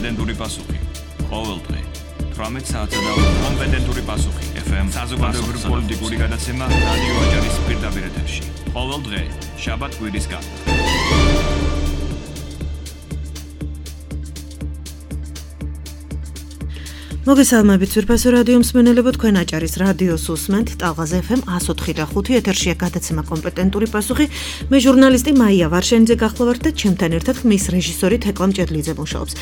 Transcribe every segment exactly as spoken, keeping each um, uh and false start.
კომპეტენტური პასუხი. ყოველ დღე თვრამეტ საათსა და კომპეტენტური პასუხი. ეფ ემ საზოგადოებრივი პოლიტიკური გადაცემა რადიო აჭარის პირდაპირ ეთერში. ყოველ დღე შაბათ-კვირის გარდა. მოგესალმებით ძვირფასო რადიო მსმენელებო, თქვენ აჭარის რადიოს უსმენთ ტალღაზე ეფ ემ one oh three point five ეთერშია გადაცემა კომპეტენტური პასუხი. მე ჟურნალისტი მაია ვარშენიძე გახლავართ და ჩემთან ერთად ხმის რეჟისორი თეკლამ ჭედლიძე მუშაობს.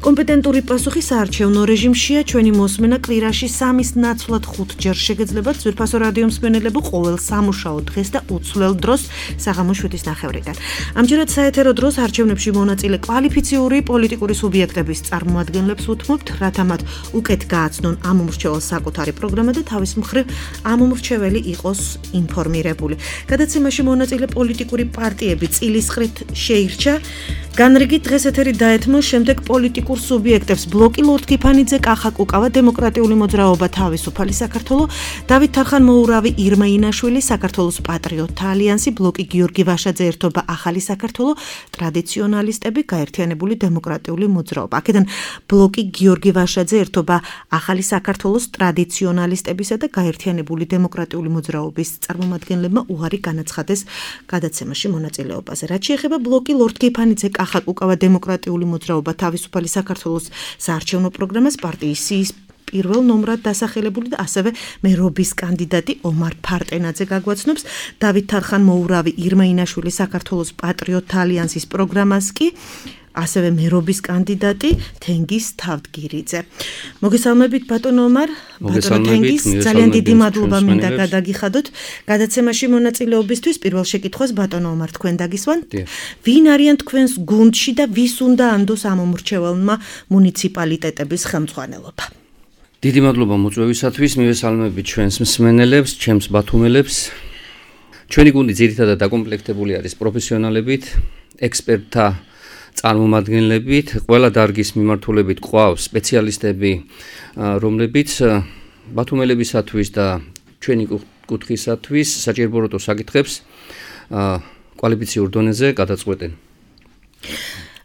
კომპეტენტური პასუხი საარჩევნო რეჟიმშია, ჩვენი მოსმენა კვირაში სამის ნაცვლად ხუთჯერ შეგეძლებათ ძვირფასო რადიო მსმენელებო ყოველ სამუშაო დღეს და უცვლელ დროს საღამოს შვიდის ნახევრიდან. ამჯერად საეთერო დროს არჩევნებში მონაწილე კვალიფიციური პოლიტიკური სუბიექტების წარმომადგენლებს უთმობთ, რათა მათ უკეთ გააცნონ ამ მომრჩეველს საკუთარი პროგრამა და თავის მხრივ ამ მომრჩეველი იყოს ინფორმირებული. გადაცემაში მონაწილე პოლიტიკური პარტიები წილისყრით შეირჩა. განრიგი დღეს ეთერი დაეთმო შემდეგ პოლიტიკურ სუბიექტებს ბლოკი ლორდ კიფანიძე, კახა კუკავა, დემოკრატიული მოძრაობა თავისუფალი საქართველო, დავით თარხან-მოურავი, ირმა ინაშვილი, საქართველოს პატრიოტთა ალიანსი, ბლოკი გიორგი ვაშაძე, ერთობა ახალი საქართველო, ტრადიციონალისტები, გაერთიანებული დემოკრატიული მოძრაობა. აქედან ბლოკი გიორგი ვაშაძე, ერთობა ახალი საქართველოს, ტრადიციონალისტებისა და გაერთიანებული დემოკრატიული მოძრაობის წარმომადგენლებმა უარი განაცხადეს გადაცემაში მონაწილეობაზე. რაც შეეხება ბლოკი ლორდ კიფანიძე, კახა კუკავა, დემოკრატიული მოძრაობა თავისუფალი საქართველოს საარჩევნო პროგრამას პარტიის სიის პირველ ნომრად დასახელებული და ასევე მერობის კანდიდატი ომარ ფარტენაძე გაგვაცნობს. დავით თარხან-მოურავი, ირმა ინაშვილი საქართველოს პატრიოტთა ალიანსის პროგრამას კი ასევე მერობის კანდიდატი თენგიზ თავდგირიძე. მოგესალმებით ბატონო ომარ, ბატონო თენგიზ, ძალიან დიდი მადლობა მინდა გადაგიხადოთ გადაცემაში მონაწილეობისთვის. პირველ შეკითხვას ბატონო ომარ თქვენ დაგისვან. ვინ არიან თქვენს გუნდში და ვის უნდა ანდოს ამ მომრჩეველმა მუნიციპალიტეტების ხელმძღვანელობა? დიდი მადლობა მოწვევისათვის, მივესალმებით ჩვენს მსმენელებს, ჩემს ბათუმელებს. ჩვენი გუნდი ძირითადად დაკომპლექტებული არის პროფესიონალებით, ექსპერტთა წარმომადგენლებით, ყველა დარგის მიმართულებით ყავს სპეციალისტები, რომლებიც ბათუმელებისათვის და ჩვენი კუთხისათვის საჭიროებო საკითხებს კვალიფიციურ დონეზე გადაწყვეტენ.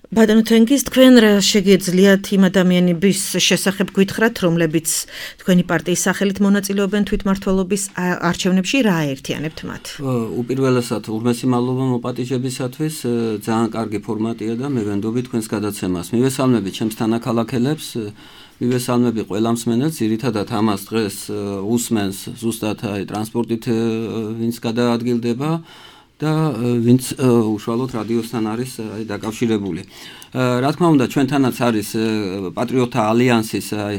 ბატონო თენგიზ, თქვენ რა შეგეძლიათ იმ ადამიანების შესახებ გითხრათ, რომლებიც თქვენი პარტიის სახელით მონაწილეობენ თვითმმართველობის არჩევნებში, რა აერთიანებთ მათ? უპირველესად ურმესი მადლობა მოპატიჟებისათვის, ძალიან კარგი ფორმატია და მე ვენდობი თქვენს გადაცემას. მივესალმები ჩემს თანაქალაქელებს, მივესალმები ყველა მსმენელს, ძირითადად ამას დღეს უსმენს ზუსტად აი ტრანსპორტით ვინც გადაადგილდება და ვინც უშუალოდ რადიოსთან არის აი დაკავშირებული. რა თქმა უნდა, ჩვენთანაც არის პატრიოტთა ალიანსის აი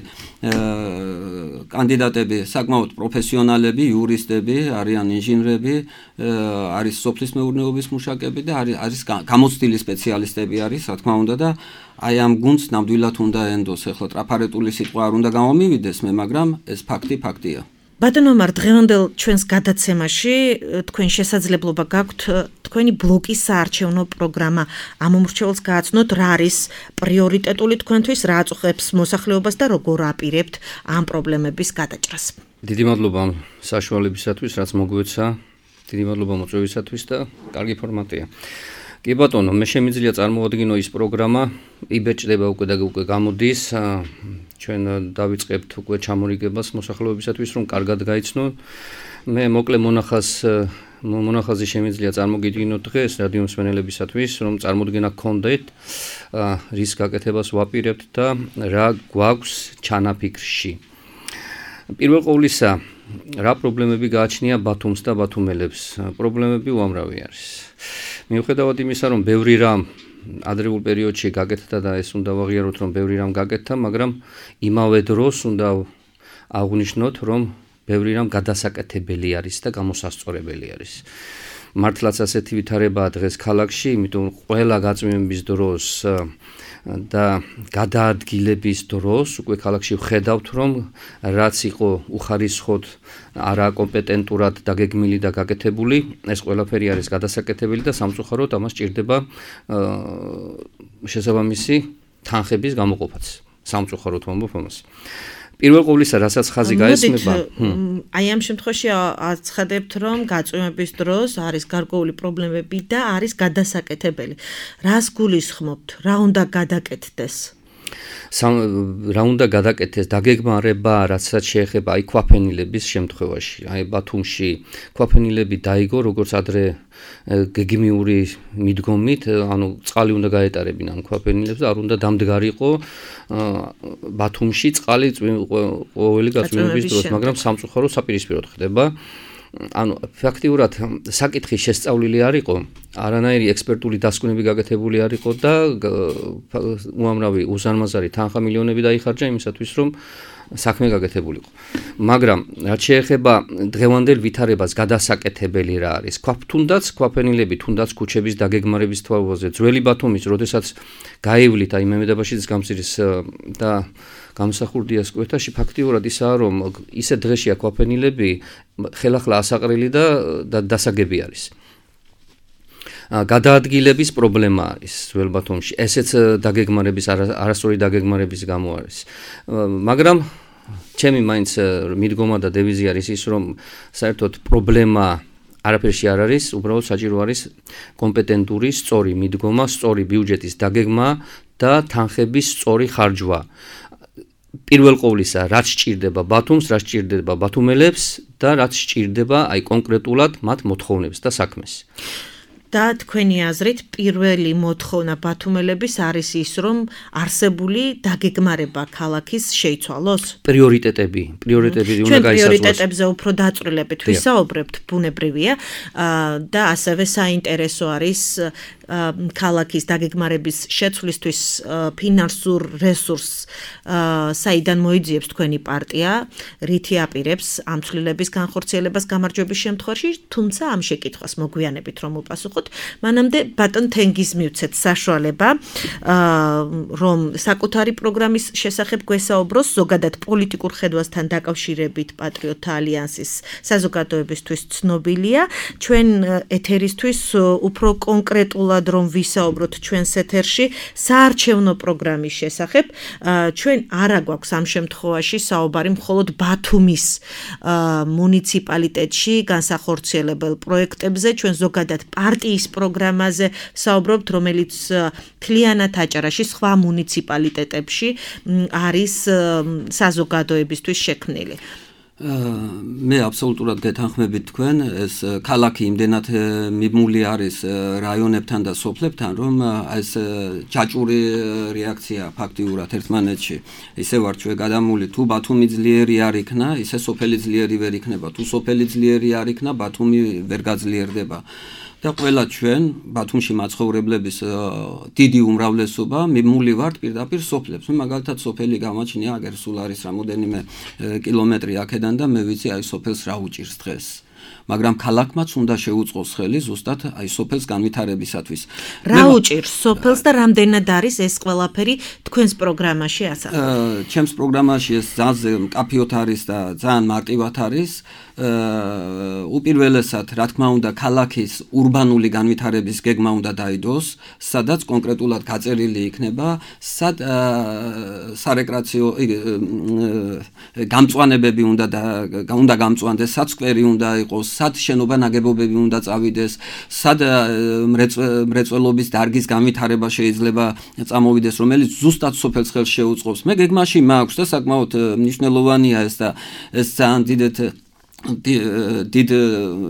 კანდიდატები, საკმაოდ პროფესიონალები, იურისტები, არიან ინჟინრები, არის სოფლის მეურნეობის მუშაკები და არის არის გამოცდილი სპეციალისტები არის, რა თქმა უნდა და აი ამ გუნდს ნამდვილად უნდა ენდოს. ახლა ტრაფარეტული სიტყვა არ უნდა გამომივიდეს მე, მაგრამ ეს ფაქტი ფაქტია. ბატონო ომარ, დღევანდელ ჩვენს გადაცემაში თქვენ შესაძლებლობა გაქვთ თქვენი ბლოკის საარჩევნო პროგრამა ამ მომრჩეველს გააცნოთ, რა არის პრიორიტეტული თქვენთვის, რა აწუხებს მოსახლეობას და როგორ აპირებთ ამ პრობლემების გადაჭრას. დიდი მადლობა ამ საშუალებისათვის, რაც მოგვეცა. დიდი მადლობა მოწვევისათვის და კარგი ფორმატია. კი ბატონო, მე შემიძლია წარმოვადგინო ის პროგრამა, იბეჭდება უკვე და უკვე გამოდის. ჩვენ დავიწყებთ უკვე ჩამორიგებას მოსახლეობისათვის, რომ კარგად გაიცნონ. მე მოკლე მონახაზ მონახაზი შემიძლია წარმოგიდგინოთ დღეს რადიო მსმენელებისათვის, რომ წარმოდგენა გქონდეთ, რის გაკეთებას ვაპირებთ და რა გვაქვს ჩანაფიქრში. პირველ ყოვლისა, რა პრობლემები გააჩნია ბათუმს და ბათუმელებს? პრობლემები უამრავი არის. მიუხედავად იმისა, რომ ბევრი რამ ადრეულ პერიოდში გაკეთდა და ეს უნდა ვაღიაროთ, რომ ბევრი რამ გაკეთდა, მაგრამ იმავე დროს უნდა აღვნიშნოთ, რომ ბევრი რამ გადასაკეთებელი არის და გამოსასწორებელი არის. მართლაც ასეთი ვითარებაა დღეს ქალაქში, იმიტომ ყველა გაწმენდის დროს და გადაადგილების დროს უკვე ქალაქში ვხედავთ, რომ რაც იყო უხარისხოდ არა კომპეტენტურად დაგეგმილი და გაკეთებული, ეს ყველაფერი არის გადასაკეთებელი და სამწუხაროდ ამას ჭირდება შესაბამისი თანხების გამოყოფაც. სამწუხაროდ ვამბობ ამას. პირველ ყოვლისა, რასაც ხაზი გაესმება, აი ამ შემთხვევაში აცხადებთ, რომ გაწვევების დროს არის გარკვეული პრობლემები და არის გადასაკეთებელი. რას გულისხმობთ? რა უნდა გადაკეთდეს? რა უნდა გადაკეთდეს დაგეგმარება, რაცაც შეეხება აი ქვაფენილების შემთხვევაში. აი ბათუმში ქვაფენილები დაიგო, როგორც ადრე გეგმიური მიდგომით, ანუ წყალი უნდა გაეტარებინა ამ ქვაფენილებს და არ უნდა დამდგარიყო ბათუმში წყალი ყოველი გაწვიმების დროს, მაგრამ სამწუხაროდ საპირისპიროდ ხდება. ანუ ფაქტიურად საკითხი შესწავლილი არ იყო, არანაირი ექსპერტული დასკვნები გაკეთებული არ იყო და უამრავი უზარმაზარი თანხა მილიონები დაიხარჯა იმისათვის, რომ საქმე გაკეთებულიყო. მაგრამ რაც შეეხება დღევანდელ ვითარებას გადასაკეთებელი რა არის? თუნდაც ქვაფენილები, თუნდაც ქუჩების დაგეგმარების თვალსაზრისით, ძველი ბათუმის, როდესაც გაივლით აი მემედაბაშიძის გამზირის და გამსახურდიას კვეთაში ფაქტიურად ისაა, რომ ისე დღეშია ქვაფენილები ხელახლა ასაყრელი და დასაგები არის. გადაადგილების პრობლემა არის ძველ ბათუმში. ესეც დაგეგმარების არასწორი დაგეგმარების გამო არის. მაგრამ ჩემი მაინც მიდგომა და დევიზი არის ის, რომ საერთოდ პრობლემა არაფერში არ არის, უბრალოდ საჭირო არის კომპეტენტური, სწორი მიდგომა, სწორი ბიუჯეტის დაგეგმა და თანხების სწორი ხარჯვა. პირველ ყოვლისა, რაც სჭირდება ბათუმს, რაც სჭირდება ბათუმელებს და რაც სჭირდება აი კონკრეტულად მათ მოთხოვნებს და საქმეს. და თქვენი აზრით პირველი მოთხოვნა ბათუმელების არის ის, რომ არსებული დაგეგმარება ქალაქის შეიცვალოს? პრიორიტეტები, პრიორიტეტები უნდა გაისაზღვროს. ჩვენ პრიორიტეტებზე უფრო დაწვრილებით ვისაუბრებთ, ბუნებრივია, და ასევე საინტერესო არის ქალაქის დაგეგმარების შეცვლისთვის ფინანსურ რესურსს საიდან მოიძიებს თქვენი პარტია, რითი აპირებს ამ ცვლილების განხორციელებას გამარჯვების შემთხვევაში, თუმცა ამ შეკითხვას მოგვიანებით რომ უპასუხოთ, მანამდე ბატონ თენგიზ მივცეთ საშუალება, რომ საკუთარი პროგრამის შესახებ გვესაუბროს, ზოგადად პოლიტიკურ ხედვასთან დაკავშირებით პატრიოტთა ალიანსის საზოგადოებისთვის ცნობილია, ჩვენ ეთერისთვის უფრო კონკრეტულად რომ ვისაუბროთ ჩვენს ეთერში საარჩევნო პროგრამის შესახებ, ჩვენ არა გვაქვს ამ შემთხვევაში საუბარი მხოლოდ ბათუმის მუნიციპალიტეტში განსახორციელებელ პროექტებზე, ჩვენ ზოგადად პარტიის პროგრამაზე საუბრობთ, რომელიც მთლიანად აჭარაში სხვა მუნიციპალიტეტებში არის საზოგადოებისთვის შექმნილი. მე აბსოლუტურად გეთანხმებით თქვენ, ეს ქალაქი იმდენად მიმული არის რაიონებთან და სოფლებთან, რომ ეს ჯაჭვური რეაქცია ფაქტიურად ერთმანეთში ისე ვარ ჩვენ გადამული, თუ ბათუმი ძლიერი არ იქნა, ისე სოფელი ძლიერი ვერ იქნება, თუ სოფელი ძლიერი არ იქნა, ბათუმი ვერ გაძლიერდება. და ყველა ჩვენ ბათუმში მაცხოვრებლების დიდი უმრავლესობა მიმული ვართ პირდაპირ სოფლებს. მე მაგალითად სოფელი გამაჩნია, აგერ სულ არის რამოდენიმე კილომეტრი აქედან და მე ვიცი აი სოფელს რა უჭირს დღეს. მაგრამ ქალაქმაც უნდა შეუწყოს ხელი ზუსტად აი სოფელს განვითარებისათვის. რა უჭირს სოფელს და რამდენად არის ეს ყველაფერი თქვენს პროგრამაში ასახული? ჩემს პროგრამაში ეს ძალზე მკაფიოდ არის და ძალიან მარტივად არის. უპირველესად, რა თქმა უნდა, ქალაქის ურბანული განვითარების გეგმა უნდა დაიდოს, სადაც კონკრეტულად გაწერილი იქნება, სად სარეკრეაციო გამწვანებები უნდა უნდა გამწვანდეს, სად სკვერი უნდა იყოს, სად შენობა ნაგებობები უნდა წავიდეს, სად მრეწველობის დარგის განვითარება შეიძლება წამოვიდეს, რომელიც ზუსტად სოფელს ხელს შეუწყობს. მე გეგმაში მაქვს და საკმაოდ მნიშვნელოვანია ეს და ეს ძალიან დიდეთ დიდ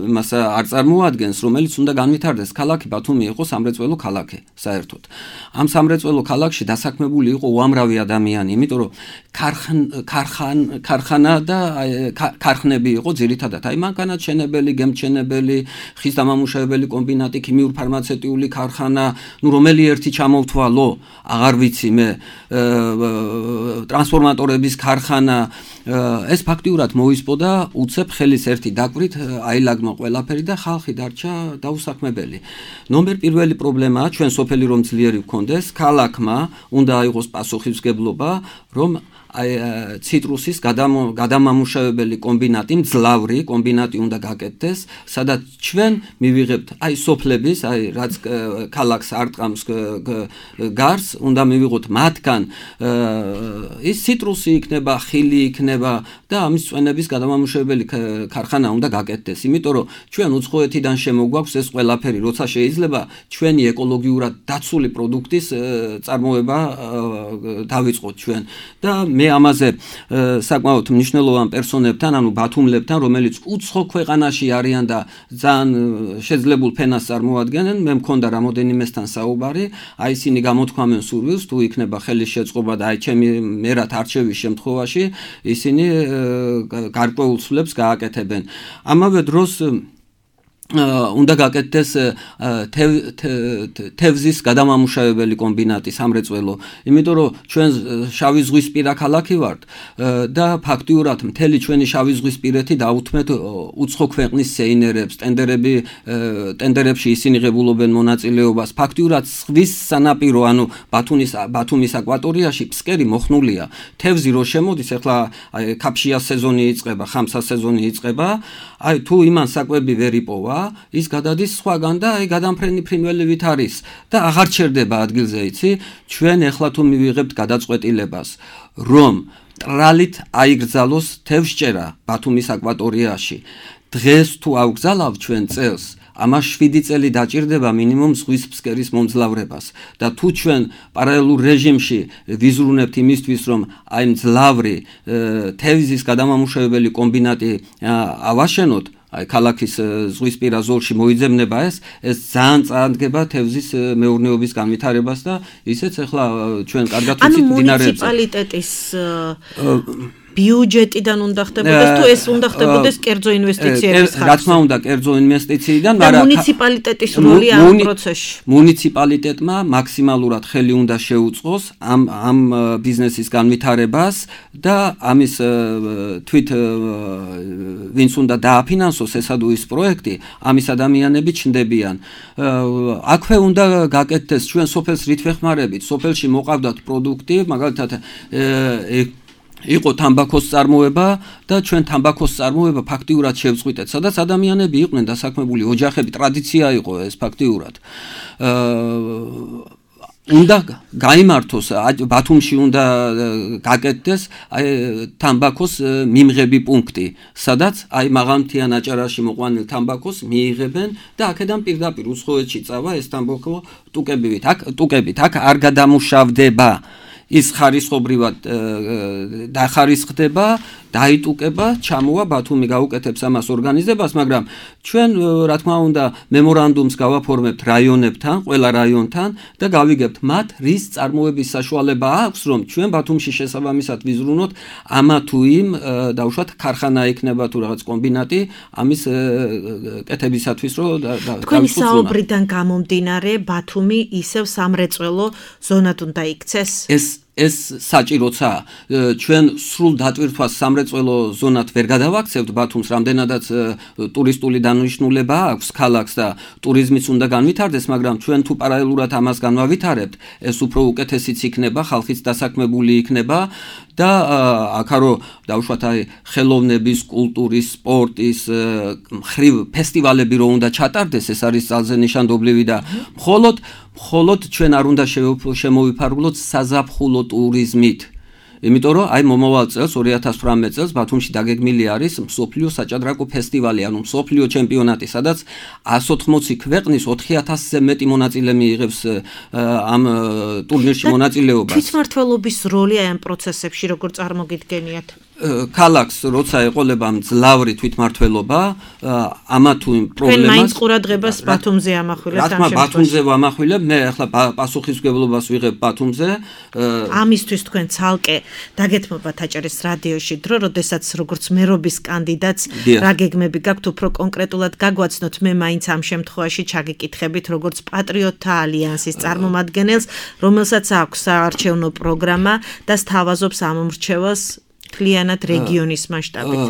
იმას არ წარმოადგენს, რომელიც უნდა განვითარდეს. ქალაქი ბათუმი იყო სამრეწველო ქალაქი, საერთოდ. ამ სამრეწველო ქალაქში დასაქმებული იყო უამრავი ადამიანი, იმიტომ რომ ქარხანა და ქარხნები იყო ძირითადად. აი მანქანათმშენებელი, გემთმშენებელი, ხის დამამუშავებელი კომბინატი, ქიმიურ ფარმაცევტიული ქარხანა, ნუ რომელი ერთი ჩამოვთვალო, აღარ ვიცი მე, ტრანსფორმატორების ქარხანა, ეს ფაქტიურად მოისპოდა უცებ ხელის ერთი დაკვირით აილაგმა ყველაფერი და ხალხი დარჩა დაუსაქმებელი. ნომერ პირველი პრობლემაა ჩვენ სოფელი რომ ძლიერი ვქონდეს, ქალაქმა უნდა აიღოს პასუხისმგებლობა, რომ აი ციტრუსის გადამამუშავებელი კომბინატი, მძლავრი კომბინატი უნდა გაკეთდეს, სადაც ჩვენ მივიღებთ აი სოფლების, აი რაც ქალაქს არტყამს გარს, უნდა მივიღოთ მათგან ის ციტრუსი იქნება, ხილი იქნება და ამის წვენების გადამამუშავებელი ქარხანა უნდა გაკეთდეს. იმიტომ რომ ჩვენ უცხოეთიდან შემოგვაქვს ეს ყველაფერი, როცა შეიძლება ჩვენი ეკოლოგიურად დაცული პროდუქტის წარმოება დავიწყოთ ჩვენ. და მე ამაზე საკმაოდ მნიშვნელოვან პერსონებთან, ანუ ბათუმლებთან, რომელიც უცხო ქვეყანაში არიან და ძალიან შეძლებულ ფენას წარმოადგენენ, მე მქონდა რამოდენიმესთან საუბარი, აი ისინი გამოთქვამენ სურვილს, თუ იქნება ხელის შეწყობა და აი ჩემი მერად არჩევის შემთხვევაში ისინი გარკვეულ ცვლილებს გააკეთებენ. ამავე დროს უნდა გაკეთდეს თევზის გადამამუშავებელი კომბინატი სამრეწველო, იმიტომ რომ ჩვენ შავი ზღვისპირა ქალაქი ვართ და ფაქტიურად მთელი ჩვენი შავი ზღვისპირეთი დაუთმეთ უცხო ქვეყნის სეინერებს, ტენდერები ტენდერებში ისინი ღებულობენ მონაწილეობას. ფაქტიურად ზღვის სანაპირო, ანუ ბათუმის ბათუმის აკვატორიაში ფსკერი მოხნულია. თევზი რო შემოდის, ახლა კაფშიას სეზონი იწყება, ხამსას სეზონი იწყება, აი თუ იმან საკვები ვერ იპოვა, ის გადადის სხვაგან და აი გადამფრენი ფრინველივით არის და აღარ ჩერდება ადგილზე, იცი? ჩვენ ახლა თუ მივიღებთ გადაწყვეტილებას, რომ ტრალით აიგრძალოს თევზჭერა ბათუმის აკვატორიაში, დღეს თუ ავგზალავ ჩვენ წელს, ამას შვიდი წელი დაჭირდება მინიმუმ ზღვის ფსკერის მომძლავრებას და თუ ჩვენ პარალელურ რეჟიმში ვიზრუნებთ იმისთვის, რომ აი მძლავრი თევზის გადამამუშავებელი კომბინატი ავაშენოთ, აი ქალაქის ზღვისპირა ზოლში მოიძებნება ეს, ეს ძალიან წაადგება თევზის მეურნეობის განვითარებას და ისეც ახლა ჩვენ კარგად ვიცით მდინარეებზე. ანუ მუნიციპალიტეტის ბიუჯეტიდან უნდა ხდებოდეს თუ ეს უნდა ხდებოდეს კერძო ინვესტიციების ხარჯზე? რა თქმა უნდა, კერძო ინვესტიციიდან, მაგრამ მუნიციპალიტეტის როლი ამ პროცესში. მუნიციპალიტეტმა მაქსიმალურად ხელი უნდა შეუწყოს ამ ამ ბიზნესის განვითარებას და ამის თვით ვინც უნდა დააფინანსოს ესადუ ის პროექტი, ამის ადამიანები ჩნდებიან. აქვე უნდა გაკეთდეს ჩვენ სოფელს რით ვეხმარებით, სოფელში მოყავდათ პროდუქტი, მაგალითად იყო თამბაქოს წარმოება და ჩვენ თამბაქოს წარმოება ფაქტიურად შევწყვიტეთ, სადაც ადამიანები იყვნენ დასაქმებული, ოჯახები, ტრადიცია იყო ეს ფაქტიურად. უნდა გაიმართოს ბათუმში უნდა გაკეთდეს აი თამბაქოს მიმღები პუნქტი, სადაც აი მაღალმთიან აჭარაში მოყვანილ თამბაქოს მიიღებენ და აქედან პირდაპირ უცხოეთში წავა ეს თამბაქო ტუკებით, აქ ტუკებით, აქ არ გადამუშავდება. ის ხარისხობრივად დახარისხდება, დაიტუკება, ჩამოვა ბათუმი გაუკეთებს ამას ორგანიზებას, მაგრამ ჩვენ რა თქმა უნდა მემორანდუმს გავაფორმებთ რაიონებთან, ყველა რაიონთან და გავიგებთ მათ რის წარმოების საშუალება აქვს, რომ ჩვენ ბათუმში შესაბამისად ვიზრუნოთ ამა თუ იმ დაუშვათ ქარხანა იქნება თუ რაღაც კომბინატი ამის კეთებისათვის, რომ თქვენი საუბრიდან გამომდინარე ბათუმი ისევ სამრეწველო ზონად უნდა იქცეს? ეს ეს საჭიროცა ჩვენ სრულ დატვირთვას სამრეწველო ზონად ვერ გადავაქცევთ ბათუმს, რამდენადაც ტურისტული დანიშნულება აქვს ქალაქს და ტურიზმიც უნდა განვითარდეს, მაგრამ ჩვენ თუ პარალელურად ამას განვავითარებთ, ეს უფრო უკეთესიც იქნება, ხალხიც დასაქმებული იქნება და აქარო დავუშვათ აი ხელოვნების, კულტურის, სპორტის მხრივ ფესტივალები რო უნდა ჩატარდეს, ეს არის ძალზე ნიშანდობლივი და მხოლოდ მხოლოდ ჩვენ არ უნდა შემოვიფარგლოთ საზაფხულო ტურიზმით. იმიტომ რომ აი მომავალ წელს ორი ათას თვრამეტ წელს ბათუმში დაგეგმილი არის მსოფლიო საჭადრაკო ფესტივალი, ანუ მსოფლიო ჩემპიონატი, სადაც εκατს ოთხმოცი ქვეყნის ოთხი ათასზე მეტი მონაწილე მიიღებს ამ ტურნირში მონაწილეობას. თვითმმართველობის როლი აი ამ პროცესებში როგორ წარმოგიდგენიათ? ქალაქს როცა ეყოლება მძლავრი თვითმმართველობა, ამა თუ იმ პრობლემას თქვენ მაინც ყურადღებას ბათუმზე ამახვილებთ ამ შემთხვევაში? ბათუმზე ვამახვილებ, მე ახლა პასუხისმგებლობას ვიღებ ბათუმზე. ამისთვის თქვენ ცალკე დაგეთმობათ აჭარის რადიოში დრო, როდესაც როგორც მერობის კანდიდატს რა გეგმები გაქვთ, უფრო კონკრეტულად გაგვაცნოთ, მე მაინც ამ შემთხვევაში ჩაგიკითხებით როგორც პატრიოტთა ალიანსის წარმომადგენელს, რომელსაც აქვს საარჩევნო პროგრამა და სთავაზობს ამ მრჩევას მთლიანად რეგიონის მასშტაბით.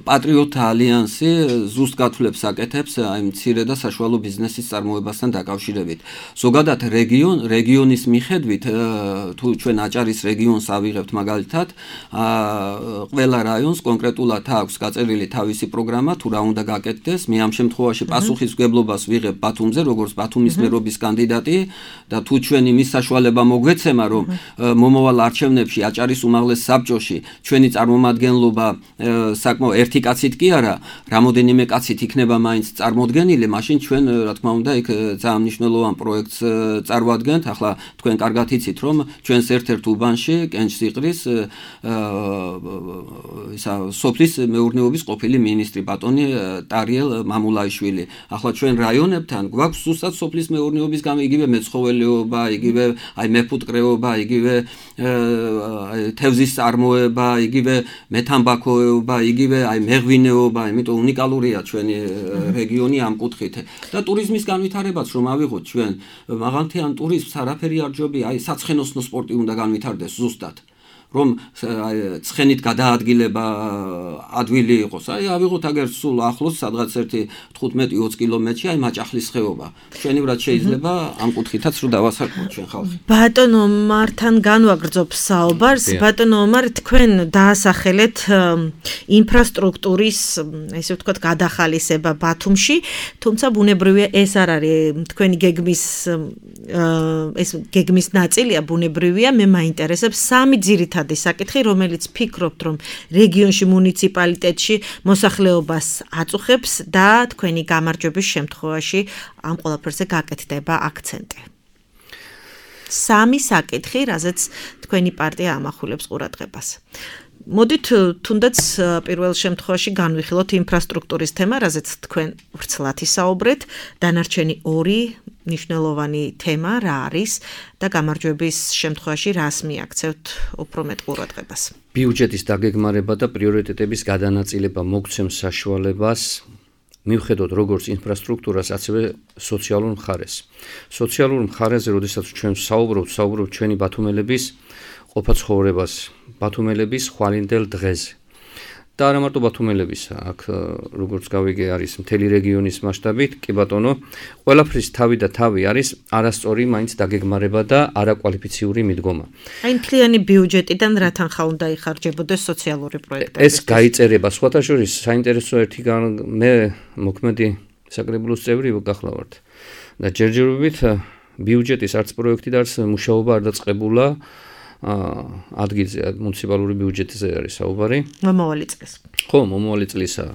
პატრიოტთა ალიანსი ზუსტ გათვლებს აკეთებს აი მცირე და საშუალო ბიზნესის წარმოებასთან დაკავშირებით. ზოგადად რეგიონ რეგიონის მიხედვით თუ ჩვენ აჭარის რეგიონს ავიღებთ მაგალითად, ყველა რაიონს კონკრეტულად აქვს გაწერილი თავისი პროგრამა, თუ რა უნდა გაკეთდეს. მე ამ შემთხვევაში პასუხისმგებლობას ვიღებ ბათუმზე, როგორც ბათუმის მერობის კანდიდატი და თუ ჩვენ იმის საშუალება მოგვეცემა, რომ მომავალ არჩევნებში აჭარის უმაღლეს საბჭოში ჩვენი წარმომადგენლობა საკმაოდ ერთი კაცით კი არა, რამოდენიმე კაცით იქნება მაინც წარმოდგენილი, მაშინ ჩვენ რა თქმა უნდა იქ ძალიან მნიშვნელოვან პროექტს წარვადგენთ. ახლა თქვენ კარგად იცით, რომ ჩვენს ერთ-ერთ უბანში კენჭსიყრის ისა სოფლის მეურნეობის ყოფილი მინისტრი ბატონი ტარიელ მამულაიშვილი. ახლა ჩვენ რაიონებთან გვაქვს ზუსტად სოფლის მეურნეობის გამო იგივე მეცხოველეობა, იგივე აი მეფუტკრეობა, იგივე თევზის წარმოება, იგივე მეთამბაქოეობა, იგივე აი მეღვინეობა, იმიტომ უნიკალურია ჩვენი რეგიონი ამ კუთხით. და ტურიზმის განვითარებაც რომ ავიღოთ ჩვენ, მაღალმთიან ტურიზმს არაფერი არ ჯობია, აი საცხენოსნო სპორტი უნდა განვითარდეს ზუსტად. რომ ცხენით გადაადგილება ადვილი იყოს. აი ავიღოთ აგერ სულ ახლოს სადღაც ერთი თხუთმეტი ოცი კილომეტრში აი მაჭახლის ხეობა. ჩვენივრად შეიძლება ამ კუთხითაც რომ დავასაკუთროთ ჩვენ ხალხი. ბატონო მართან განვაგრძობ საუბარს. ბატონო მარ თქვენ დაასახელეთ ინფრასტრუქტურის, ესე ვთქვათ, გადახალისება ბათუმში, თუმცა ბუნებრივია ეს არ არის თქვენი გეგმის ეს გეგმის ნაწილია, ბუნებრივია, მე მაინტერესებს სამი ძირითადი საკითხი, რომელიც ფიქრობთ, რომ რეგიონში მუნიციპალიტეტში მოსახლეობას აწუხებს და თქვენი გამარჯვების შემთხვევაში ამ ყველაფერზე გაკეთდება აქცენტი. სამი საკითხი, რაზეც თქვენი პარტია ამახვილებს ყურადღებას. მოდით თუნდაც პირველ შემთხვევაში განვიხილოთ ინფრასტრუქტურის თემა, რაზეც თქვენ ვრცლად ისაუბრეთ, დანარჩენი ორი მნიშვნელოვანი თემა რა არის და გამარჯვების შემთხვევაში რას მიაქცევთ უფრო მეტ ყურადღებას. ბიუჯეტის დაგეგმარება და პრიორიტეტების გადანაწილება მოგცემს საშუალებას მივხედოთ როგორც ინფრასტრუქტურას, ასევე სოციალურ მხარეს. სოციალურ მხარეზე, როდესაც ჩვენ საუბრობთ, საუბრობთ ჩვენი ბათუმელების ყოფა ცხოვრებას, ბათუმელების ხვალინდელ დღეზე. და არა მარტო ბათუმელების, აქ როგორც გავიგე არის მთელი რეგიონის მასშტაბით, კი ბატონო, ყველაფრის თავი და თავი არის არასწორი მაინც დაგეგმარება და არაკვალიფიციური მიდგომა. აი მთლიანი ბიუჯეტიდან რა თანხა უნდა იხარჯებოდეს სოციალური პროექტები? ეს გაიწერება სხვათა შორის საინტერესო ერთი მე მოქმედი საკრებულოს წევრი გახლავართ. და ჯერჯერობით ბიუჯეტის არც პროექტი და არც მუშაობა არ დაწყებულა ადგილზე მუნიციპალური ბიუჯეტზე არის საუბარი. მომავალი წლის. ხო, მომავალი წლისა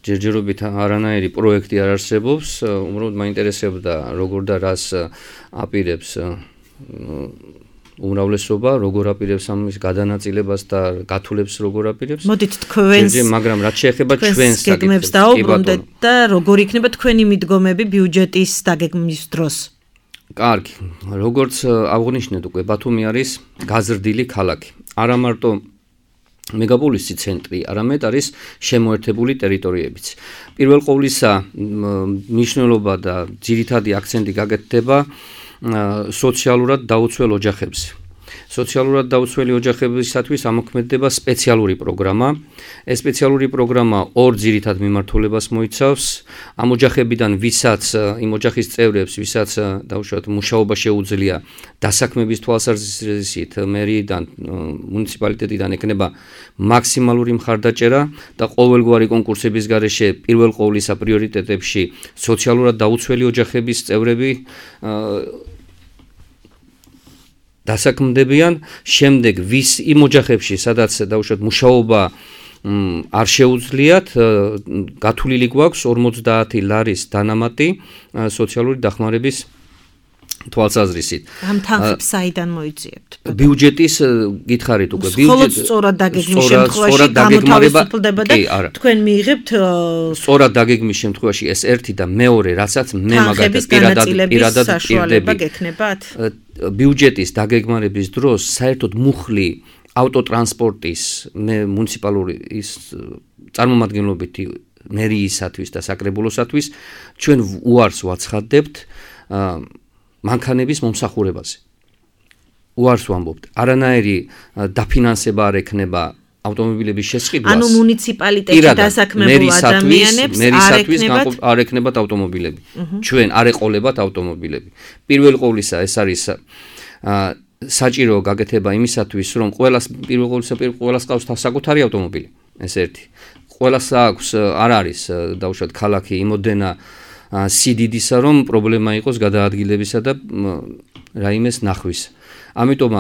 ჯერჯერობით არანაირი პროექტი არ არსებობს, უბრალოდ მაინტერესებდა როგორ და რას აპირებს უმრავლესობა, როგორ აპირებს ამის გადანაწილებას და გათვლებს როგორ აპირებს. მოდით თქვენს მაგრამ რაც შეეხება ჩვენს გეგმებს დაუბრუნდეთ და როგორ იქნება თქვენი მიდგომები ბიუჯეტის დაგეგმვის დროს? კარგი, როგორც აღნიშნეთ უკვე, ბათუმი არის გაზრდილი ქალაქი. არა მარტო მეგაპოლისი ცენტრი, არამედ არის შემოერთებული ტერიტორიებიც. პირველ ყოვლისა მნიშვნელობა და ძირითადი აქცენტი გაკეთდება სოციალურად დაუცველ ოჯახებზე. სოციალურად დაუცველი ოჯახებისათვის ამოქმედდება სპეციალური პროგრამა. ეს სპეციალური პროგრამა ორ ძირითად მიმართულებას მოიცავს. ამ ოჯახებიდან ვისაც, იმ ოჯახის წევრებს, ვისაც დაუშვათ მუშაობა შეუძლია, დასაქმების თვალსაზრისით მერიიდან, მუნიციპალიტეტიდან ეკნება მაქსიმალური მხარდაჭერა და ყოველგვარი კონკურსების გარეშე პირველ ყოვლისა პრიორიტეტებში სოციალურად დაუცველი ოჯახების წევრები დასაქმდებიან, შემდეგ ვის იმ ოჯახებში, სადაც დაუშვათ მუშაობა არ შეუძლიათ, გათვლილი გვაქვს ორმოცდაათი ლარის დანამატი სოციალური დახმარების თვალსაზრისით. ამ თანხებს საიდან მოიძიებთ? ბიუჯეტის გითხარით უკვე ბიუჯეტი სწორად დაგეგმვის შემთხვევაში გამოთავისუფლდება და თქვენ მიიღებთ სწორად დაგეგმვის შემთხვევაში ეს ერთი და მეორე, რასაც მე მაგათაც პირადად პირადად პირდები გექნებათ. ბიუჯეტის დაგეგმარების დროს საერთოდ მუხლი ავტოტრანსპორტის მე მუნიციპალური ის წარმომადგენლობითი მერიისათვის და საკრებულოსათვის ჩვენ უარს ვაცხადებთ მანქანების მომსახურებაზე. უარს ვამბობთ. არანაირი დაფინანსება არ ექნება ავტომობილების შესყიდვას. ანუ მუნიციპალიტეტში დასაქმებულ ადამიანებს არ ექნებათ არ ექნებათ ავტომობილები. ჩვენ არ ეყოლებათ ავტომობილები. პირველ ყოვლისა ეს არის საჭირო გაკეთება იმისათვის, რომ ყველას პირველ ყოვლისა ყველას ყავს საკუთარი ავტომობილი. ეს ერთი. ყველას აქვს არ არის დაუშვათ ქალაქი იმოდენა სიდიდისა, რომ პრობლემა იყოს გადაადგილებისა და რაიმეს ნახვის. ამიტომ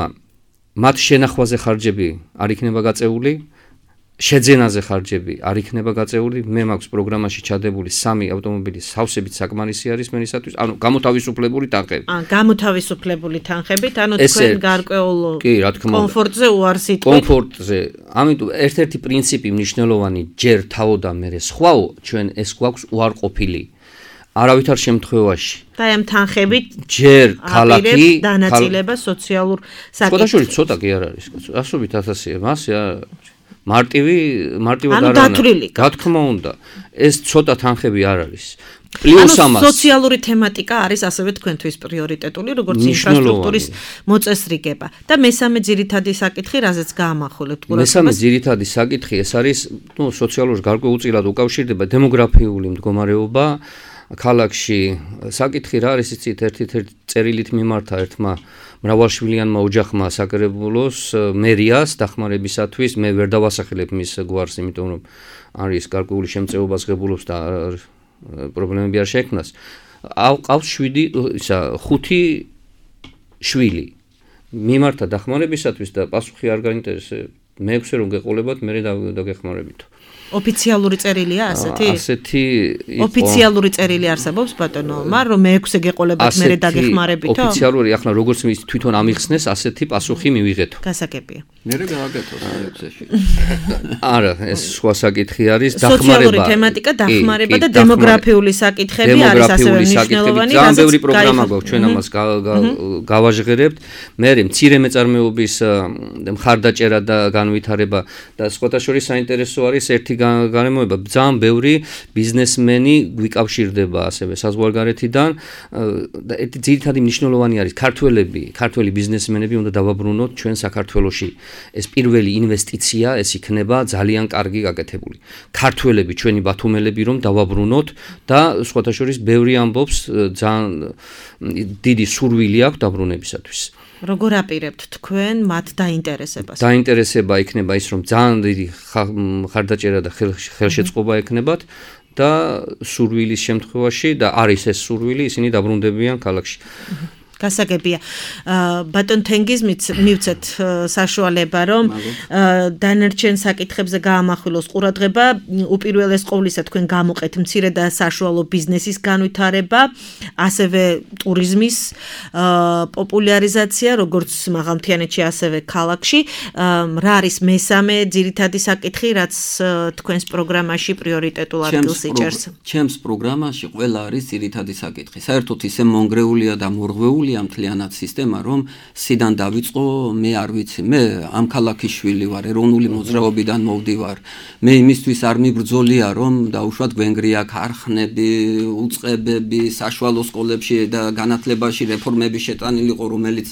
მათ შენახვაზე ხარჯები არ იქნება გაწეული, შეძენაზე ხარჯები არ იქნება გაწეული. მე მაქვს პროგრამაში ჩადებული სამი ავტომობილი სავსებით საკმარისი არის მენისათვის, ანუ გამოთავისუფლებული თანხები. აა, გამოთავისუფლებული თანხებით, ანუ თქვენ გარკვეულ კომფორტზე უარს იტყვით. კომფორტზე. ამიტომ ერთ-ერთი პრინციპი მნიშვნელოვანი ჯერ თავო და მერე სხვაო, ჩვენ ეს გვაქვს უარყოფილი. არავითარ შემთხვევაში. და ამ თანხებით ჯერ ქალაქი დანაწილება სოციალურ საკითხებში. სხვადასხვა ცოტა კი არ არის. ასობით ათასია, მასე არ მარტივი მარტივად არ არის. რა თქმა უნდა, ეს ცოტა თანხები არ არის. პლუს ამას სოციალური თემატიკა არის ასევე თქვენთვის პრიორიტეტული, როგორც ინფრასტრუქტურის მოწესრიგება. და მესამე ძირითადი საკითხი, რაზეც გაამახვილებთ ყურადღებას. მესამე ძირითადი საკითხი ეს არის, ნუ სოციალურ გარკვეულწილად უკავშირდება დემოგრაფიული მდგომარეობა ქალაქში. საკითხი რა არის იცით, ერთ-ერთი წერილით მიმართა ერთმა მრავალშვილიანმა ოჯახმა საკრებულოს მერიას დახმარებისათვის. მე ვერ დავასახელებ მის გვარს, იმიტომ რომ არის გარკვეული შემწეობას ღებულობს და პრობლემები არ შეექმნას. ყავს შვიდი ისა ხუთი შვილი. მიმართა დახმარებისათვის და პასუხი არ გაინტერესებს. მეექვსე რომ გეყოლებათ, მე დაგეხმარებითო. ოფიციალური წერილია ასეთი? ასეთი იყო. ოფიციალური წერილი არსებობს ბატონო, მაგრამ რომ მეექვსე გეყოლებათ, მე დაგეხმარებითო? ოფიციალური, ახლა როგორც ის თვითონ ამიხსნეს, ასეთი პასუხი მივიღეთო. გასაგებია. მე გააკეთოს მეექვსეში. არა, ეს სხვა საკითხი არის, დახმარება. სოციალური თემატიკა, დახმარება და დემოგრაფიული საკითხები არის ასევე მნიშვნელოვანი. ძალიან ბევრი პროგრამა გვაქვს, ჩვენ ამას გავაჟღერებთ. მე მცირე მეწარმეობის მხარდაჭერა და განვითარება და სხვათა შორის საინტერესო არის ერთი გარემოება, ძალიან ბევრი ბიზნესმენი გვიკავშირდება ასევე საზღვარგარეთიდან და ერთი ძირითადი მნიშვნელოვანი არის ქართველები, ქართველი ბიზნესმენები უნდა დავაბრუნოთ ჩვენ საქართველოში. ეს პირველი ინვესტიცია, ეს იქნება ძალიან კარგი გაკეთებული. ქართველები, ჩვენი ბათუმელები რომ დავაბრუნოთ და სხვათა შორის ბევრი ამბობს ძალიან დიდი სურვილი აქვს დაბრუნებისათვის. როგორ აპირებთ თქვენ მათ დაინტერესებას? დაინტერესება იქნება ის, რომ ძალიან დიდი ხარდაჭერა და ხელშეწყობა ექნებათ და სურვილის შემთხვევაში და არის ეს სურვილი, ისინი დაბრუნდებიან ქალაქში. გასაგებია. ბატონ თენგიზმით მივცეთ საშუალება, რომ დანარჩენ საკითხებზე გაამახვილოს ყურადღება. უპირველეს ყოვლისა თქვენ გამოყეთ მცირე და საშუალო ბიზნესის განვითარება, ასევე ტურიზმის პოპულარიზაცია, როგორც მაღალმთიანეთში, ასევე ქალაქში. რა არის მესამე ძირითადი საკითხი, რაც თქვენს პროგრამაში პრიორიტეტულ ადგილს იჭერს? ჩემს პროგრამაში ყველა არის ძირითადი საკითხი. საერთოდ ისე მონგრეულია და მორღვეული მთლიანად სისტემა, რომ სიდან დავიწყო, მე არ ვიცი, მე ამ ქალაქის შვილი ვარ, ეროვნული მოძრაობიდან მოვდივარ. მე იმისთვის არ მიბრძოლია, რომ დაუშვათ გვენგრია ქარხნები, უწყებები, საშუალო სკოლებში და განათლებაში რეფორმები შეტანილიყო, რომელიც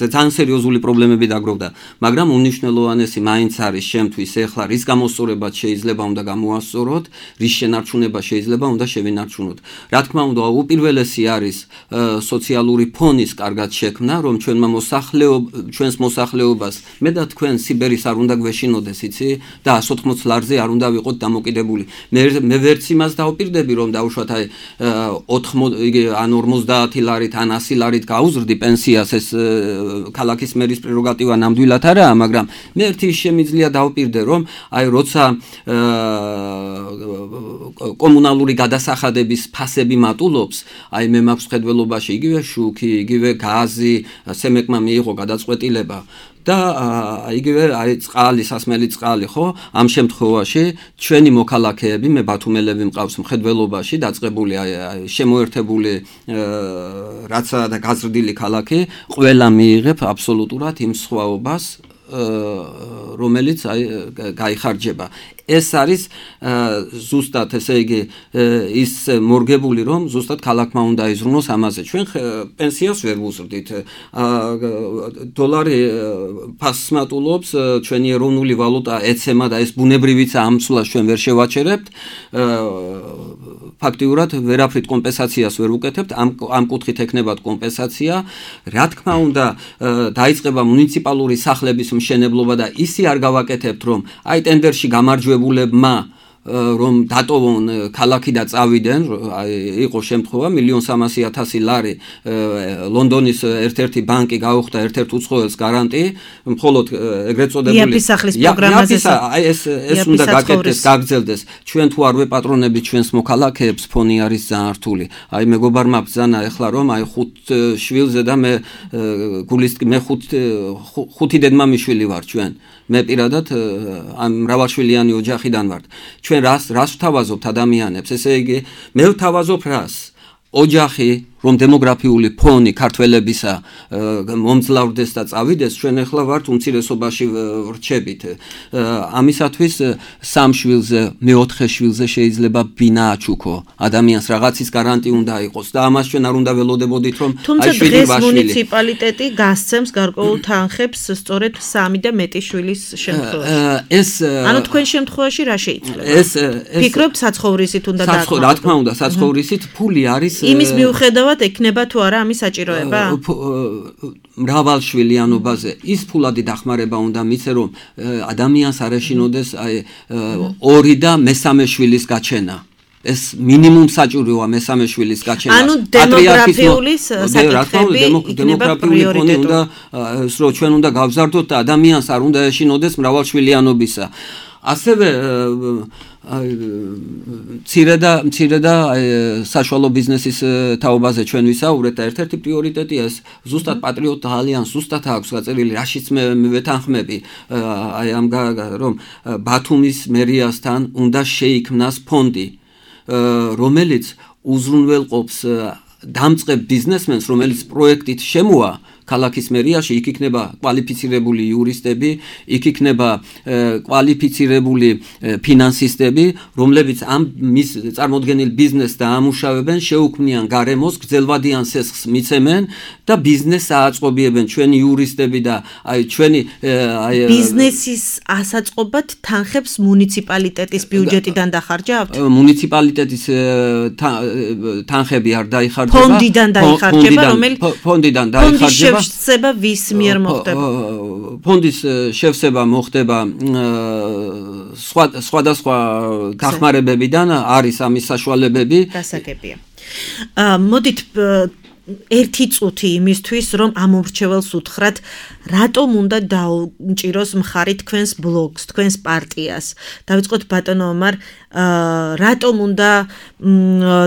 ძალიან სერიოზული პრობლემები დაგროვდა. მაგრამ უნიშნელოვანესი მაინც არის შემთვის ეხლა რის გამოსწორებაც შეიძლება უნდა გამოასწოროთ, რის შენარჩუნება შეიძლება უნდა შევინარჩუნოთ. რა თქმა უნდა, უპირველესი არის სოციალური ფონის კარგად შექმნა, რომ ჩვენმა მოსახლეობა, ჩვენს მოსახლეობას მე და თქვენ სიბერის არ უნდა გვეშინოდეს, იცი? და εκατს ოთხმოცდაათი ლარზე არ უნდა ვიყოთ დამოკიდებული. მე მე ვერც იმას დავპირდები, რომ დაუშვათ აი ან ორმოცდაათი ლარით, ან ასი ლარით გაუზრდი პენსიას, ეს ქალაქის მერის პრეროგატივა ნამდვილად არაა, მაგრამ მე ერთი შემიძლია დავპირდე, რომ აი როცა კომუნალური გადასახადების ფასები მატულობს, აი მე მაქვს მხედველობაში იგივე შუქი, იგივე გაზი, სემეკმა მიიღო გადაწყვეტილება და იგივე აი წყალი, სასმელი წყალი, ხო? ამ შემთხვევაში ჩვენი მოქალაქეები, მე ბათუმელები მყავს მხედველობაში დაწყებული აი შემოერთებული რაცა და გაზრდილი ქალაქი, ყველა მიიღებ აბსოლუტურად იმ სხვაობას, რომელიც აი გაიხარჯება. ეს არის ზუსტად ესე იგი ის მორგებული რომ ზუსტად ქალაქმა უნდა იზრუნოს ამაზე ჩვენ პენსიას ვერ ვუზრდით დოლარი ფასმატულობს ჩვენი ეროვნული ვალუტა ეცემა და ეს ბუნებრივიცა ამ სულას ჩვენ ვერ შევაჩერებთ ფაქტიურად ვერაფრით კომპენსაციას ვერ ვუკეთებთ ამ ამ კუთხით ექნებათ კომპენსაცია რა თქმა უნდა დაიწყება მუნიციპალური სახლების მშენებლობა და ისი არ გავაკეთებთ რომ აი ტენდერში გამარჯვებულებმა რომ დატოვონ ქალაქი და წავიდნენ იყო შემთხვევა მილიონ სამასი ათასი ლარი ლონდონის ერთ-ერთი ბანკი გაუხდა ერთ-ერთ უცხოელს გარანტი მხოლოდ ეგრეთ წოდებული იაფის სახლის პროგრამაზე აი ეს ეს უნდა გაკეთდეს გაგრძელდეს ჩვენ თუ არ ვეპატრონებით ჩვენს მოქალაქეებს ფონი არის ძალიან რთული აი მეგობარმა ბრძანა ეხლა რომ აი ხუთ შვილზე და მე გულის მე ხუთ ხუთი დედმამიშვილი ვარ ჩვენ მე პირადად ამ მრავალშვილიანი ოჯახიდან ვარ ჩვენ რას რას ვთავაზობთ ადამიანებს ესე იგი მე ვთავაზობ რას ოჯახი რომ დემოგრაფიული ფონი ქართველებისა მომძლავრდეს და წავიდეს ჩვენ ახლა ვართ უმცირესობაში ვრჩებით ამისათვის სამ შვილზე მეოთხე შვილზე შეიძლება ბინა აჩუქო ადამიანს რაღაცის გარანტი უნდა იყოს და ამას ჩვენ არ უნდა ველოდებოდით რომ თუმცა დღეს მუნიციპალიტეტი გასცემს გარკვეულ თანხებს სწორედ სამი და მეტი შვილის შემთხვევაში ეს ანუ თქვენ შემთხვევაში რა შეიძლება ეს ფიქრობთ საცხოვრისით უნდა დაკმაყოფილოთ რა თქმა უნდა საცხოვრისით ფული არის იმის მიუხედავად ექნება თუ არა ამის საჭიროება? მრავალშვილიანობაზე ის ფულადი დახმარება უნდა მიცე რომ ადამიანს არ ეშინოდეს აი ორი და მესამე შვილის გაჩენა ეს მინიმუმ საჭიროა მესამე შვილის გაჩენა ანუ დემოგრაფიული საკითხები დემოგრაფიული ფონი უნდა რომ ჩვენ უნდა გავზარდოთ და ადამიანს არ უნდა ეშინოდეს მრავალშვილიანობისა ასევე მცირე და მცირე და საშუალო ბიზნესის თაობაზე ჩვენ ვისაუბრეთ და ერთ-ერთი პრიორიტეტია ეს ზუსტად პატრიოტთა ალიანს ზუსტად აქვს გაწერილი რაშიც მე ვეთანხმები აი ამ რომ ბათუმის მერიასთან უნდა შეიქმნას ფონდი რომელიც უზრუნველყოფს დამწყებ ბიზნესმენს რომელიც პროექტით შემოა ქალაქის მერიაში იქ იქნება კვალიფიცირებული იურისტები, იქ იქნება კვალიფიცირებული ფინანსისტები, რომლებიც ამ მის წარმოდგენილ ბიზნესს დაამუშავებენ, შეუქმნიან გარემოს, გრძელვადიან სესხს მიცემენ და ბიზნესს აწყობიებენ ჩვენი იურისტები და აი ჩვენი აი ბიზნესის ასაწყობად თანხებს მუნიციპალიტეტის ბიუჯეტიდან დახარჯავთ? მუნიციპალიტეტის თანხები არ დაიხარჯება. ფონდიდან დაიხარჯება, რომელიც ფონდიდან დაიხარჯება შევსება ვის მიერ მოხდება? ფონდის შევსება მოხდება სხვა სხვადასხვა დახმარებებიდან არის ამის საშუალებები. გასაგებია. მოდით ერთი წუთი იმისთვის რომ ამ ურჩეველს უთხრათ რატომ უნდა დაუჭიროს მხარი თქვენს ბლოგს, თქვენს პარტიას. დავიწყოთ ბატონო ომარ, რატომ უნდა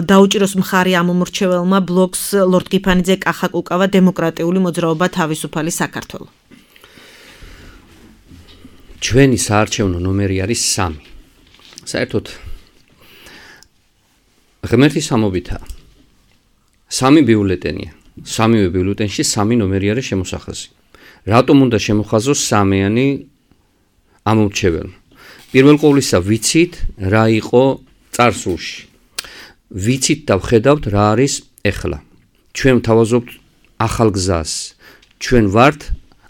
დაუჭიროს მხარი ამ ურჩეველმა ბლოგს ლორდ გიფანიძე კახა კუკავა დემოკრატიული მოძრაობა თავისუფალი საქართველო? ჩვენი საარჩევნო ნომერი არის სამი. საერთოდ ღმერთის სამობითა სამი ბიულეტენია. სამივე ბიულეტენში სამი ნომერი არის შემოსახაზი. რატომ უნდა შემოხაზოს სამიანი ამ ურჩეველმა? პირველ ყოვლისა ვიცით რა იყო წარსულში. ვიცით და ვხედავთ რა არის ეხლა. ჩვენ ვთავაზობთ ახალ გზას. ჩვენ ვართ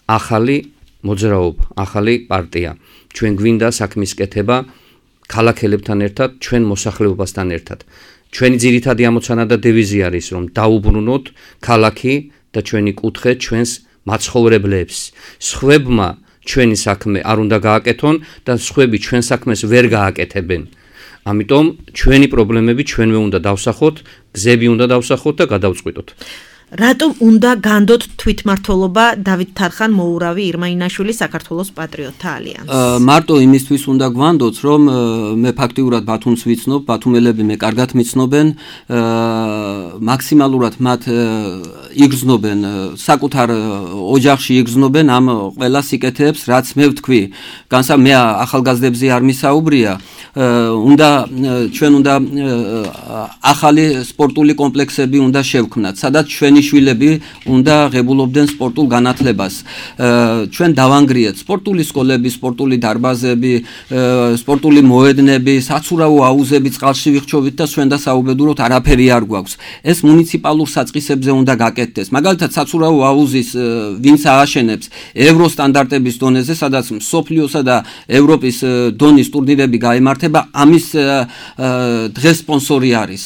ახალი მოძრაობა, ახალი პარტია. ჩვენ გვინდა საქმის კეთება ქალაქელებთან ერთად, ჩვენ მოსახლეობასთან ერთად. ჩვენი ძირითადი ამოცანა და დევიზი არის რომ დაუბრუნოთ ქალაქი და ჩვენი კუთხე ჩვენს მაცხოვრებლებს. სხვებმა ჩვენი საქმე არ უნდა გააკეთონ და სხვები ჩვენ საქმეს ვერ გააკეთებენ. ამიტომ ჩვენი პრობლემები ჩვენვე უნდა დავსახოთ, გზები უნდა დავსახოთ და გადავწყვიტოთ. რატომ უნდა განდოთ თვითმმართველობა დავით თარხან მოურავი ირმა ინაშვილი საქართველოს პატრიოტთა ალიანსს? მარტო იმისთვის უნდა გვანდოთ რომ მე ფაქტიურად ბათუმს ვიცნობ, ბათუმელები მე კარგად მიცნობენ, მაქსიმალურად მათ იგრძნობენ, საკუთარ ოჯახში იგრძნობენ ამ ყველა სიკეთეებს, რაც მე ვთქვი. განსა მე ახალგაზრდებზე არ მისაუბრია, უნდა ჩვენ უნდა ახალი სპორტული კომპლექსები უნდა შევქმნათ, სადაც ჩვენ ჩვენი შვილები უნდა ღებულობდნენ სპორტულ განათლებას. ჩვენ დავანგრიეთ სპორტული სკოლები, სპორტული დარბაზები, სპორტული მოედნები, საცურაო აუზები წყალში ვიხჩობით და ჩვენ და საუბედუროთ არაფერი არ გვაქვს. ეს მუნიციპალურ საწყისებზე უნდა გაკეთდეს. მაგალითად, საცურაო აუზის ვინც ააშენებს ევროსტანდარტების დონეზე, სადაც მსოფლიოსა და ევროპის დონის ტურნირები გაიმართება, ამის დღეს სპონსორი არის,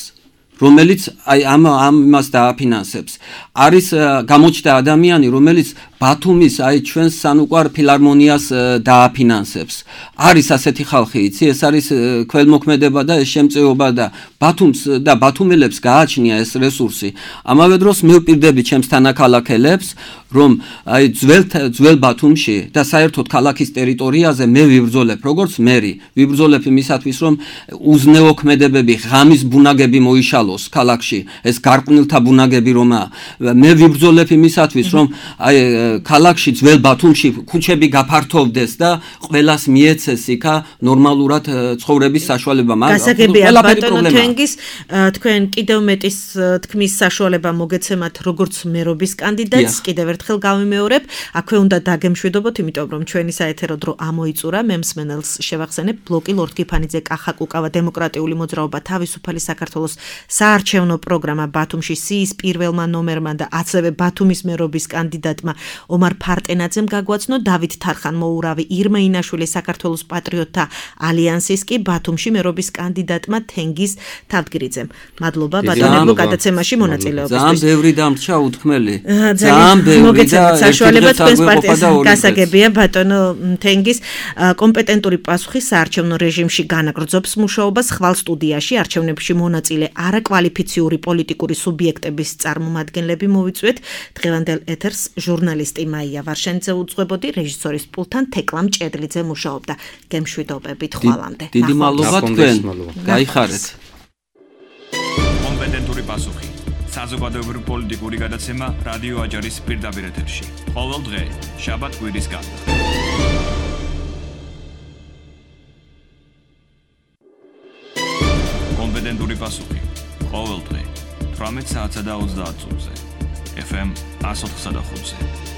რომელიც აი ამ ამას დააფინანსებს. არის გამოჩნდა ადამიანი, რომელიც ბათუმის აი ჩვენს სანუკვარ ფილარმონიას დააფინანსებს. არის ასეთი ხალხი, იცი, ეს არის ქველმოქმედება და ეს შემწეობა და ბათუმს და ბათუმელებს გააჩნია ეს რესურსი. ამავე დროს მე ვპირდები ჩემს თანაქალაქელებს, რომ აი ძველ ძველ ბათუმში და საერთოდ ქალაქის ტერიტორიაზე მე ვიბრძოლებ, როგორც მერი, ვიბრძოლებ იმისათვის, რომ უზნეო ქმედებები, ღამის ბუნაგები მოიშალოს ქალაქში, ეს გარყვნილთა ბუნაგები რომაა. მე ვიბრძოლებ იმისათვის, რომ აი ქალაქში ძველ ბათუმში ქუჩები გაფართოვდეს და ყველას მიეცეს იქა ნორმალურად ცხოვრების საშუალება. გასაგებია ბატონო თენგის, თქვენ კიდევ მეტის თქმის საშუალება მოგეცემათ როგორც მერობის კანდიდატს, კიდევ ერთხელ გავიმეორებ, აქვე უნდა დაგემშვიდობოთ, იმიტომ რომ ჩვენი საეთერო დრო ამოიწურა, მე მსმენელს შევახსენებ, ბლოკი ლორდ გიფანიძე, კახა კუკავა, დემოკრატიული მოძრაობა, თავისუფალი საქართველოს საარჩევნო პროგრამა ბათუმში სიის პირველმა ნომერმა და ასევე ბათუმის მერობის კანდიდატმა ომარ ფარტენაძემ გაგვაცნო, დავით თარხან-მოურავი, ირმა ინაშვილი საქართველოს პატრიოტთა ალიანსის კი ბათუმში მერობის კანდიდატმა თენგიზ თავდგირიძემ. მადლობა ბატონებო გადაცემაში მონაწილეობისთვის. ძალიან ბევრი დამრჩა უთქმელი. ძალიან ბევრი მოგეცემთ საშუალება თქვენს პარტიას გასაგებია ბატონო თენგიზ, კომპეტენტური პასუხი საარჩევნო რეჟიმში განაგრძობს მუშაობას, ხვალ სტუდიაში არჩევნებში მონაწილე არაკვალიფიციური პოლიტიკური სუბიექტების წარმომადგენლები მოვიწვიეთ. დღევანდელ ეთერს ჟურნალისტი მაია ვარშენიძე უძღვებოდი, რეჟისორის პულთან თეკლამ ჭედლიძე მუშაობდა. გემშვიდობებით ხვალამდე. დიდი მადლობა თქვენ. გაიხარეთ. კომპეტენტური პასუხი. საზოგადოებრივი პოლიტიკური გადაცემა რადიო აჯარის პირდაპირ ეთერში. ყოველ დღე, შაბათ კვირის გარდა. კომპეტენტური პასუხი. ყოველ დღე, თვრამეტ საათსა და ოცდაათ წუთზე. ეფ ემ one oh five.